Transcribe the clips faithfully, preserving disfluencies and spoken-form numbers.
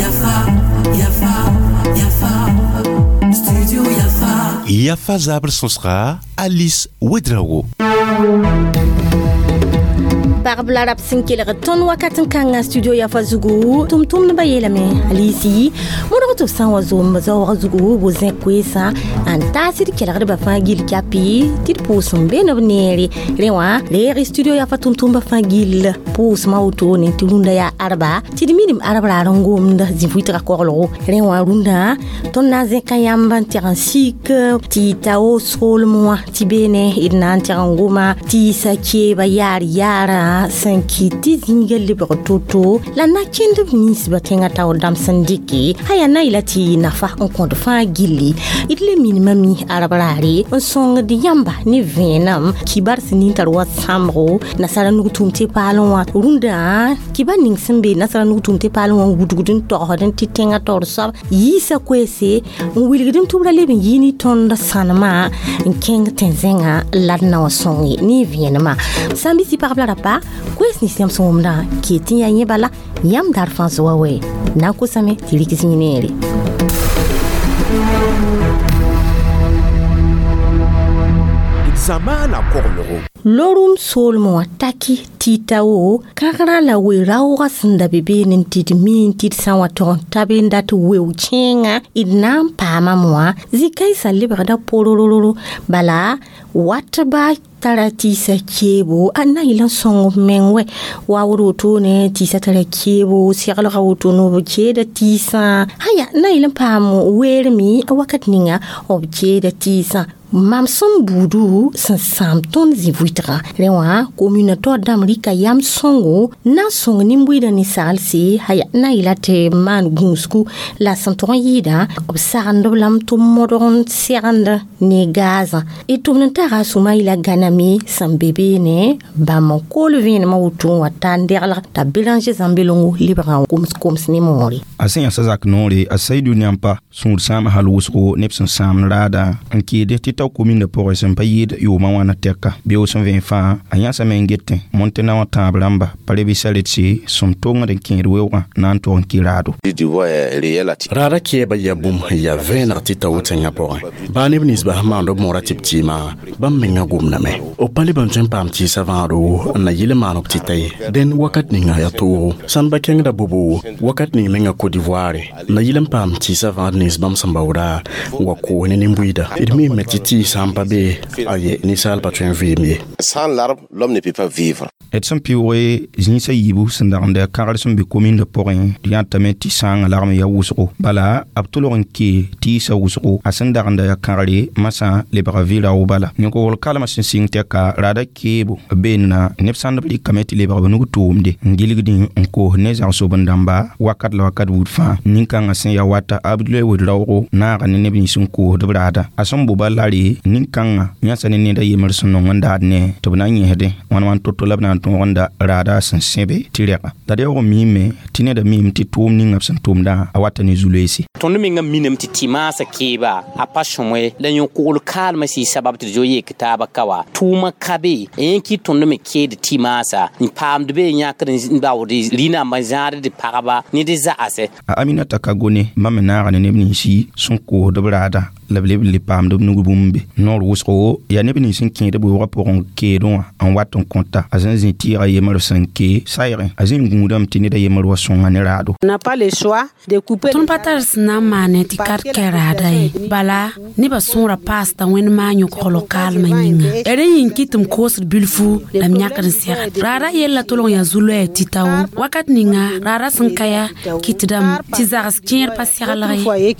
Yafa, Yafa, Yafa, Studio Yafa. Yafa zabr sõsga Alice Ouedraogo. Pagb la rab sẽn kelg tõnd wakat n kãngã studio Yafa zugu tʋm-tʋmdbã yeelame Alisi modg tɩ b sã n wa zoomb zaoogã zugu bo zẽ koeesã n taasd kelgdbã fãa gill kapi tɩ d pʋʋs n be b neere rẽ wã reeg studio Yafa tʋm-tʋmdbã fãa gill pʋʋsmã wotone tɩ rũndã yaa arba tɩ d minim arb raar n gomd zĩ-vuitgã koglgo rẽ wã rũndã tõnd na n zẽka yãmb n tɩg n sik tɩ tao soolem wã tɩ beene d na n tɩg n goma tɩɩsa keeba yaar yaarã sẽn kɩt tɩ zĩiga lebg to-to la na kẽnd b ninsbã tẽngã taoor dãmb sẽn dɩke a yaa na yela tɩ nafa n kõd fãa gilli d le minimã mi arab raare n sõngd yãmba ne vẽenem kibar sẽn nin tar wa sãmbgo nasara nug tʋʋm tɩ paalẽ wã rũndã kibar ning sẽn be nasara nug tʋʋm tɩ paalẽ wã n wudgd n togsd n tɩ tẽngã taoor soab yiisa koeese n wilgd n tʋbra leb n yɩ ne tõnd sãnemã n kẽng tẽn-zẽngã la d na wã sõnge ne vẽenemã sã n bɩ tɩ pagb la rapa koees nins yãmb sẽn wʋmdã kee tɩ yaa yẽ bala yãmb daar fãa soa wɛ na n kosame tɩ rɩk zĩig neere. Zamaana koglgo. Lorum soolmẽ wã taki tɩ tao kãgrã la we-raoogã sẽn da be beene n tɩ d mi n tɩ d sã n wa tog n ta be n dat weo kẽengã d na n paamame wã zĩ-kãensã lebgda porororo bala watba tara tɩɩsa keebo a na yɩl n sõng b meng wɛ waood wotone tɩɩsa tara keebo seglga wotone b keeda tɩɩsã aya na yɩl n paam weerme a wakat ninga b keeda tɩɩsã mam sẽn buudu sẽn sãam tõnd zĩ-vuitgã rẽ wã komuna taoor dãmb rɩka yam sõngo na n sõng nin-buiidã ninsaalse aya na yɩla tɩ maan gũusgu la sẽn tog n yɩɩdã b sagend b lame tɩ b modg n segend ne gaazã d tʋmd n taga a sũmã yɩla gãname sẽn be beene bãmb n kool vẽenemã woto n wa ta n deglg t'a Béranger Zãmbelongo lebgã koms-koms ne moore a sẽn yãsa zak noore a Saidu Niampa sũur sãam hal wʋsgo neb sẽn sãamd raada n keede tɩ tao kominda pʋgẽ sẽn pa yɩɩd yʋʋmã wãna tɛka beoog sẽn vẽen fãa a yãsame n getẽ montena wã tãab rãmba pa rebɩsa retse sẽn tongd n kẽed weoogã na n tog n kɩ raado. Raada kɛɛba yaa bũmb sẽn yaa vẽeneg tɩ tao tẽngã pʋgẽ baa neb ninsba sẽn maand b moora tɩ b tɩɩmã bãmb mengã gomdame b pa leb n tõe n paam tɩɩsã vãado n na yɩl n maan b tɩ ta ye dẽnd wakat ninga yaa toogo sãn ba kẽngda bobo wakat ning menga Côte d'Ivoire n na yɩl n paam tɩɩsã vãad nins bãmb sẽn baooda n wa koos ne nin-buiida d miime tɩ tɩɩsã n pa be aye ninsaal pa tõe n vɩɩm ye. Sans l'arbre, l'homme ne peut pas vivre. D sẽn pɩʋʋge zĩisã yiibu sẽn dagenda kãgr sẽn be komindã pʋgẽ d yãtame tɩ sãangã lagm ya wʋsgo bala b tʋlg n kee tɩɩsã wʋsgo a sẽn dagenda ya kãgre masã lebga vɩ-rao bala yõkgl kalmã sẽn sɩng tɛka raada keebo beenna neb sãnd b rɩkame tɩ lebg b nug tʋʋmde n gilgdẽ n koos ne zagsob-n-dãmba wakat la wakat buud fãa nin-kãngã sẽn ya wata Abdoulaye Ouedraogo naaga ne neb nins n koosd b raada a sẽn boba lare nin-kãngã yãsa ne ned a yembr sẽn nong n daad ne tɩ b na n yẽsdẽ wãn wãn to-to la b na n tõog n da raada sẽn sẽbe tɩ rɛga la d yaoog n miime tɩ neda miime tɩ tʋʋm ninga b sẽn tʋmdã a wata ne zu-loeese. Tõnd mengã miname tɩ tɩ-maasã keeba a pa sõmoe la yõkogl kaalmã sɩ sabab tɩ d zo yek taabã ka wa tʋʋmã ka be yẽ kɩ tõnd me keed tɩ-maasã n paamd be yãkd n baood rĩnambã zãad d pagba ne d za'asɛ. A Aminata Kagone bãmb me naaga ne neb ninsi sẽn koosd b raada la b leb n le paamd b nug bũmbe noor wʋsgo yaa neb nins n kẽed b weoogã pʋgẽ keedẽ wã n wat n kõta a sẽn zĩ tɩɩga yembr sẽn kee saygẽ a zĩ n gũudame tɩ ned a yembr wa sõnga ne raado. Tõnd pa tar sẽn na n maane tɩ ka d kɛ raada ye bala nebã sõora paasda wẽnd maan yõkgl kaalmã yĩnga rẽ yĩng kɩ tɩ m koosd bilfu la m yãkd n segd raada yella tʋlg yaa zu-loɛɛ tɩ tao wakat ninga raada sẽn ka yaa kɩtdame tɩ zags kẽer pa seglg ye.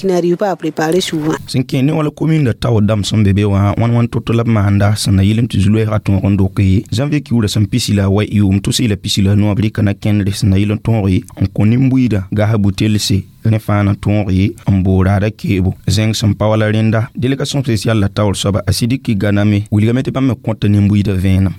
Sẽn kẽ ne wala kominda taoor dãmb sẽn be be wã wãn wãn to-to la b maanda sẽn na yɩlem tɩ zu-loɛɛgã tõog n doke janvier kiuurã sẽn pisi la wa yʋʋm tʋs la pisi la noab rɩka na kẽndre sẽn na yɩl n tõoge n kõ nin-buiidã gas butelse Rẽ fãa na tõog n boo raada keebo zẽng sẽn pa wala rẽnda délégation spéciale la taoor soaba a Sidiki Ganame wilgame tɩ bãmb me kõta nin-buiidã vẽenem.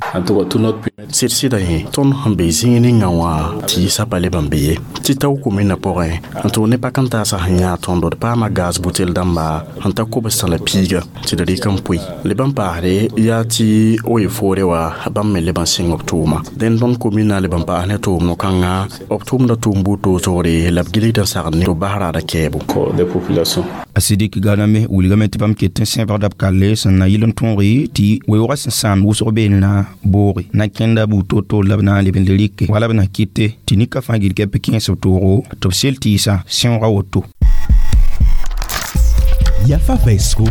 Sɩd sɩda yẽ tõnd sẽn be zĩig ninga wã tɩɩsã pa leb n be ye tɩ tao komĩnã pʋgẽ n tʋg ne pak n taasã sẽn yã tõndo d paama gaz butel dãmba n ta kobs la piiga tɩ d rɩk n pʋɩ leb n paasde yaa tɩ o ye foore wa bãmb me leb n sɩng b tʋʋma dẽnd tõnd komĩnã leb n paas ne tʋʋm no-kãnga b tʋʋmda tʋʋm buud toosgre la b gilgd n sagd ne tɩ b bas raada kɛɛbo. A Sidiki Ganame wilgame tɩ bãmb ket n sẽbgda b kalle sẽn na yɩl n tõoge tɩ weoogã sẽn sãamd wʋsg beene booge na kẽnda buud toor-toor la b na n leb n le rɩke wala b na kɩte tɩ nika fãa gil kɛp kẽes b toogo tɩ b sel tɩɩsã sẽooga woto. Yafa vɛɛsgo,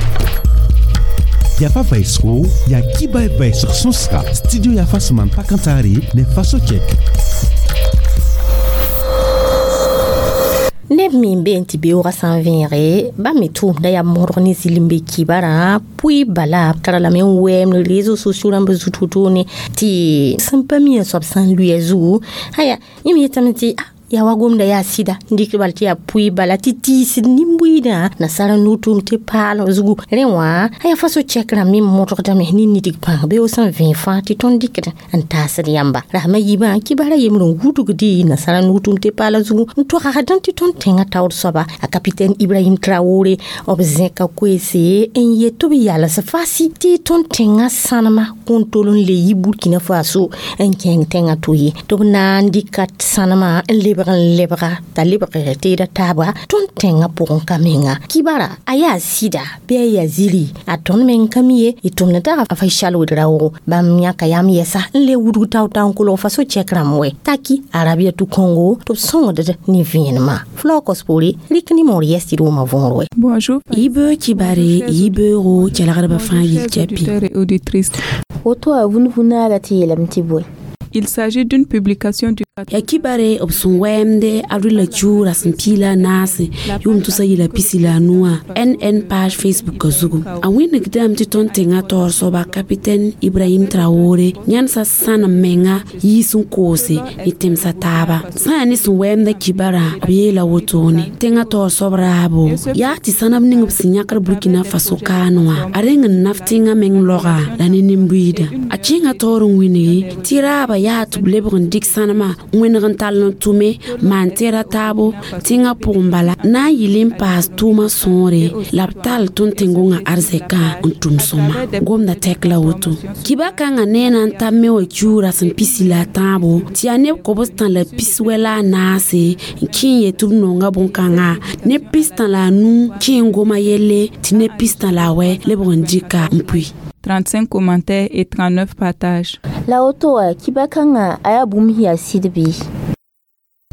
yafa vɛɛsgo yaa kiba vɛɛsg sõsga studio Yafa sẽn maan pak n taare ne faso chɛk. Neb me n bee n tɩ beoogã sã n vẽege bãmb me tʋʋmda yaa modg ne zɩlem be kibarã pʋɩ bala b tara lame n wɛɛm ne réseaux sociaux rãmb zut wotone tɩ sẽn pa mi a soab sã n lʋɩ a zugu aya yẽ me yetame tɩ yaa wa gomda yaa sɩda n dɩk bal tɩ yaa pʋɩ bala tɩ tiisd nin-buiidã nasara no-tʋʋm tɩ paal zugu rẽ wã a yaa fa so-chɛk rãmb me modgdame ne nidg pãng beoog sẽn vẽe fãa tɩ tõnd dɩkd n taasd yãmba rasmã yiibã kibara yembr n wudgdi nasara no-tʋʋm tɩ paala zugu n togsd tɩ tõnd tẽngã taoor soaba a capitaine Ibrahim Traoré b zẽka koeese n yet tɩ b yals fasi tɩ tõnd tẽngã sãnema kõn tol n le yi Burkina Faso n kẽng tẽngã to ye tɩ b na n dɩka sãnema n lebg n lebga t'a lebg teeda taaba tõnd tẽngã pʋgẽ ka menga kibara a yaa sɩda bɩ a yaa ziri a tõnd meng ka mi ye y tʋmd tag a Faisal Ouedraogo bãmb yãka yam yɛsa n le wudg tao-tao n kolg fa so-chɛk rãmb wɛ taki Arabiatu Congo tɩ b sõngd ne vẽenemã flocos poore rɩk ne moor yɛs tɩ d wʋma võor wɛ. Bonjour. Yibe kibare yibeoogo kelgdbã fãa yil kɛpɩ. Woto a vũn-vũnaara tɩ yeelame tɩ bõe? Il s'agit d'une publication du yaa kibare b sẽn wɛɛmde avril la kiuug rasem pii la a naase yʋʋm tʋsa yɩla pisi la a nuwã N N page Facebook zugu a wẽnegdame tɩ tõnd tẽngã taoor soaba capitaine Ibrahim Traoré yãnsa sãnem menga yiis n koose ne tẽmsã taaba sã yaa ne sẽn wɛɛmda kibarã b yeela wotone tẽngã taoor soab raabo yaa tɩ sãneb ning b sẽn yãkd Burkina Faso kaane wã a reng n naf tẽngã meng loga la ne nin-buiidã a kẽngã taoor n wĩngi tɩ raaba yaa tɩ b lebg n dɩk sãnemã wẽneg n tall n tʋme maan tẽeda taabo tẽngã pʋgẽ bala na n yɩl n paas tʋʋmã sõore la b tall tõnd tẽn-gõngã arzɛkã n tʋm sõma gomda tɛk la woto kiba kãngã nee na n ta me wã kiuug rasem pisi la a tãabo tɩ yaa neb kobs tã la pis wɛ la a naase n kẽ n yet tɩ b nonga bõn-kãngã neb pis-tã la a nu kẽ n goma yelle tɩ neb pis-tã la a wɛ lebg n dɩka n pʋɩ. trente-cinq commentaires et trente-neuf partages. La woto wã kiba kãngã a yaa bũmb sẽn yaa sɩd bɩ?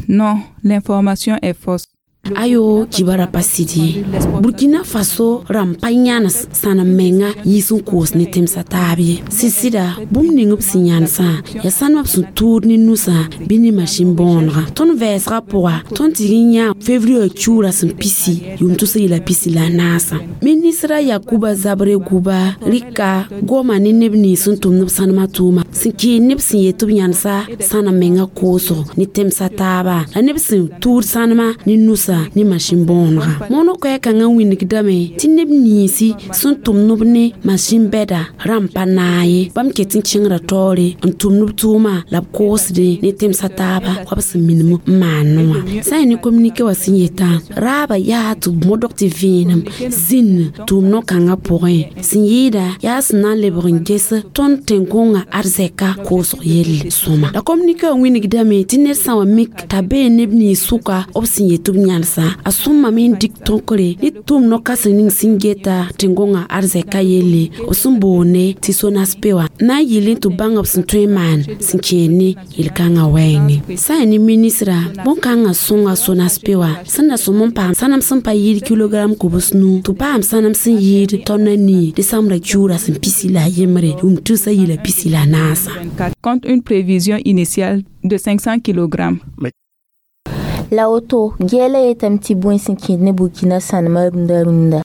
Non, l'information est fausse. Ayo, kibara pa sɩd ye. Burkina Faso rãmb pa yãnes sãnem menga yiis n koos ne tẽmsã taab ye. Sɩd-sɩda bũmb ning b sẽn yãnesã yaa sãnemã b sẽn tʋʋd ne nusã bɩ ne masin bõonega tõnd vɛɛsgã pʋga tõnd tɩg n yã février kiuug rasem pisi yʋʋm tʋsa yɩla pisi la a naasã ministra Yakuba Zabre Guba rɩka goma ne neb nins sẽn tʋmd b sãnemã tʋʋma sẽn kɩɩn neb sẽn yet tɩ b yãnesa sãnem menga koosg ne tẽmsã taaba la neb sẽn tʋʋd sãnemã ne nusã ne masin bõonega mono koɛɛ-kãngã wĩnigdame tɩ neb ninsi sẽn tʋmd b ne masin bɛda rãmb pa naag ye bãmb ket n kẽngra taoore n tʋmd b tʋʋma la b koosdẽ ne tẽmsã taaba wa b sẽn minim n maan wã sã n yaa ne communiqué wã sẽn yetã raaba yaa tɩ b modg tɩ vẽenem zĩnd tʋʋm no-kãngã pʋgẽ sẽn yɩɩda yaa sẽn na n lebg n ges tõnd tẽn-gõngã arzɛka koosg yell sõma la communiqué wã wĩnigdame tɩ ned sã wa mik t'a bee neb nins sʋka b sẽn yet tɩ b yãnesã a sõmame n dɩk tõkre ne tʋʋm no-kãseng ning sẽn geta tẽn-gõngã arzɛka yelle b sẽn boonde tɩ SONASP wã na n yɩl tɩ b bãng b sẽn tõe n maan sẽn kẽer ne yel-kãngã wɛɛngẽ sã n yaa ne ministra bõn-kãngã sõnga SONASP wã sẽn na sõm n paam sãnem sẽn pa yɩɩd kilogram kobs nu tɩ paam sãnem sẽn yɩɩd tõnd nii desãmbra kiuug rasem pisi la a yembre yʋʋm tʋsa yɩla pisi la a naasã. Contre une prévision initiale de cinq cents kilogrammes. La woto gɛɛla yetame tɩ bõe sẽn kẽed ne Burkina sãnemã rũndã rũndã?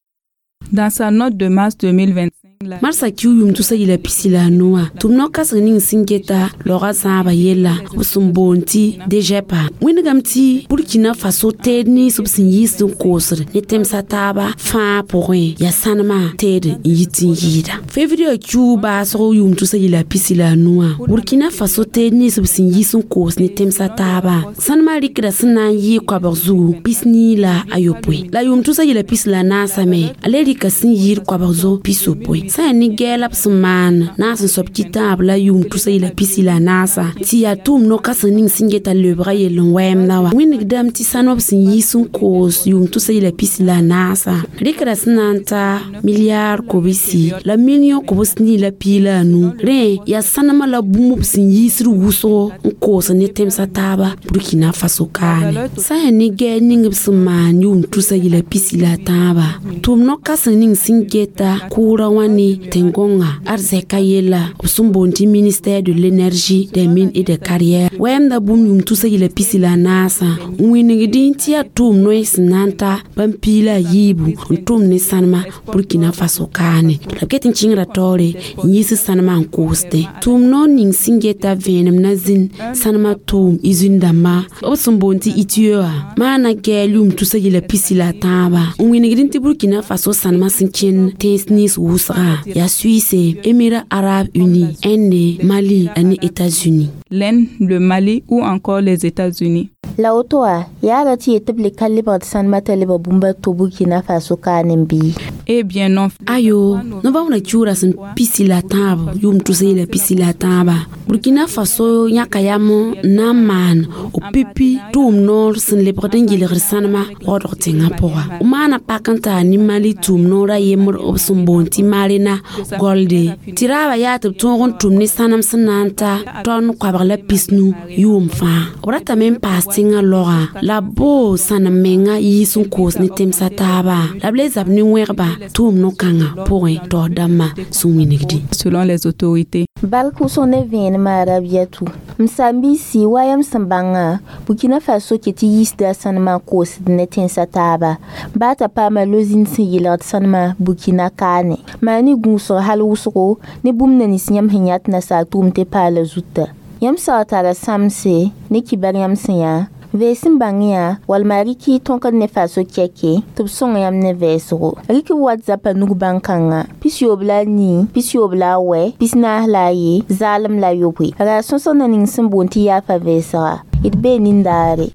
Dans sa note de mars deux mille vingt-cinq, Marsa kiu yʋʋm tusa yila pisi la a nuwã tʋm no-kãseng ning sẽn geta laoogã zãabã yella b sẽn boond tɩ D G E P A wẽndgame tɩ Burkina Faso teed nins b sẽn yiisd n koosd ne tẽmsã taaba fãa pʋgẽ yaa sãnemã teed n yit n yɩɩda. Février kiu baasg yʋʋm tusa yila pisi la a nuwã, Burkina Faso teed nins b sẽn yiis n koos ne tẽmsã taaba sãnemã rɩkda sẽn na n yɩ koabg zugu pis-nii la a yopoe, la yʋʋm tusa yila pis la a naasã me a le rɩka sẽn yɩɩd koabg zug pis-yopoe. Sã yaa ne gɛɛla b sẽn maan naas n soab kitaab la yʋʋm tusa yila pisi la a naasã tɩ yaa tʋʋm no-kãseng ning sẽn geta lebga yell n wɛɛmda wa wĩnigdame tɩ sãnem b sẽn yiis n koos yʋʋm tusa yila pisi la a naasã rɩkda sẽn na n ta milliard kobsi la million kobs nii la pii la a nu. Rẽ yaa sãnemã la bũmb b sẽn yiisd wʋsgo n koos ne tẽmsã taaba Burkina Faso kaane. Sã yaa ne gɛɛl ning b sẽn maan yʋʋm tusa yila pisi la a tãabã tʋʋm no-kãseng ning sẽn geta kʋʋra wã ne tẽn-gõnga arzɛka yella b sẽn boond tɩ ministère de l'Énergie, des Mines et des Carrières wɛɛmda bũmb yʋʋm tusa yila pisi la a naasã n wĩnigdẽ tɩ yaa tʋʋm noy sẽn na n ta bãmb pii la a yiibu n tʋm ne sãnema Burkina Faso kaane la b ket n kẽngra taoore n yiis sãnemã n koosdẽ. Tʋʋm noor ning sẽn geta vẽenem na zĩn sãnemã tʋʋm usine dãmbã b sẽn boond tɩ I T E wã maana gɛɛl yʋʋm tusa yila pisi la a tãabã n wĩnigdẽ tɩ Burkina Faso sãnemã sẽn kẽnd tẽns nins wʋsga yaa Suisse, Émirats arabes unis, Inde, Mali la États-Unis. L'Inde, le Mali ou encore les États-Unis. La woto wã yaa ra tɩ yet tɩ b le ka lebgd sãnemã t'a lebg bũmb to Burkina Faso kaane bɩ? Eh bien non. Ayo, novembre kiugra sẽn pisi la tãab yʋʋm tusa yila pisi la tãaba, Burkina Faso yãka yam n na n maan b pipi tʋʋm noor sẽn lebgd n yɩlgd sãnemã waoodg tẽngã pʋga. B maana pak n taa ne Mali tʋʋm noor a yembr b sẽn boond tɩ Marena Golde tɩ raabã yaa tɩ b tõog n tʋm ne sãnem sẽn na n ta tɔn koabg la pisnu yʋʋm fãa. B ratame n paas tẽngã laoga la b boo sãnem menga yiis n koos ne tẽmsã taaba la b le zab ne wẽgba tʋʋm no-kãngã pʋgẽ taoor dãmbã sẽn wĩnigdẽ. Selon les autorités. Bark wʋsg ne vẽenemã Rabiatu m saam-biisi wa yam sẽn bãngã, Burkina Faso ket tɩ yiisda sãnemã koosd ne tẽnsã taaba baa t'a paama lozĩnd sẽn yɩlgd sãnemã Burkina kaane maa ne gũusg hal wʋsgo ne bũmb na nins yãmb sẽn yãt nasaar tʋʋm tɩ paala zuta. Yãmb saoog tara sãmse ne kibar yãmb sẽn yaa vɛɛs n bãng yã walma rɩk y tõkd ne Faso kɛke tɩ b sõng yãmb ne vɛɛsgo. Rɩk b WhatsApp a nug bãn-kãngã pis-yoob la a nii, pis-yoob la a wɛ, pis-naas la a ye, zaalem la yopoe. Ra sõsg na ning sẽn boond tɩ yaafa vɛɛsga d bee nindaare.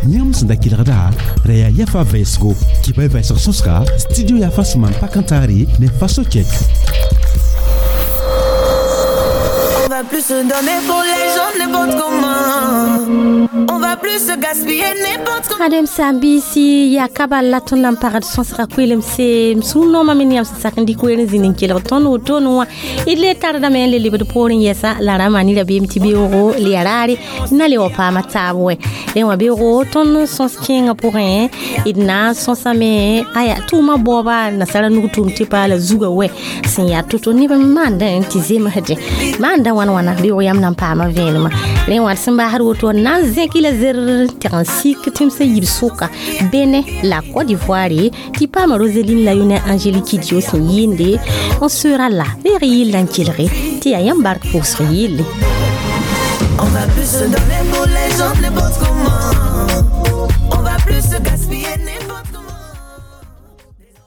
Yãmb sẽn da kelgda ra yaa Yafa vɛɛsgo kɩba vɛɛsg sõsga studio Yafa sẽn maan pak n taare ne Faso kɛk. On va plus se donner pour les gens n'importe comment. On va plus se gaspiller n'importe comment. Adem sambisi ya kaba la tõnd na n pagd sõsga koelemse m sũur noomã me ne yãmb sẽn sak n dɩk weer n zĩnd n kelg tõnd wotone wã. D le tardame n le lebd poorẽ yɛsa la ra maan rabeem tɩ beoogo le ya raare na le wa paama taab wɛ. Rẽ wã beoogo tõnd sõs kẽengã pʋgẽ d na n sõsame aya tʋʋmã baooba nasara nug tʋʋm tɩ paala zuga wɛ sẽn yaa to-to neb n maandã tɩ zemsdẽ maanda wãn wãna beoog yãmb na n paama vẽenemã. Rẽ wã d sẽn baasd woto na n zẽk la zer tɩg n sik tẽmsã yib sʋka Bénin la Côte d'Ivoire tɩ paama Roseline la yʋne Angélique Dio sẽn yɩɩnde n sera la reeg yɩlla n kelge tɩ yaa yãmb bark pʋʋsg yɩlle. On va plus se donner pour les gens n'importe comment.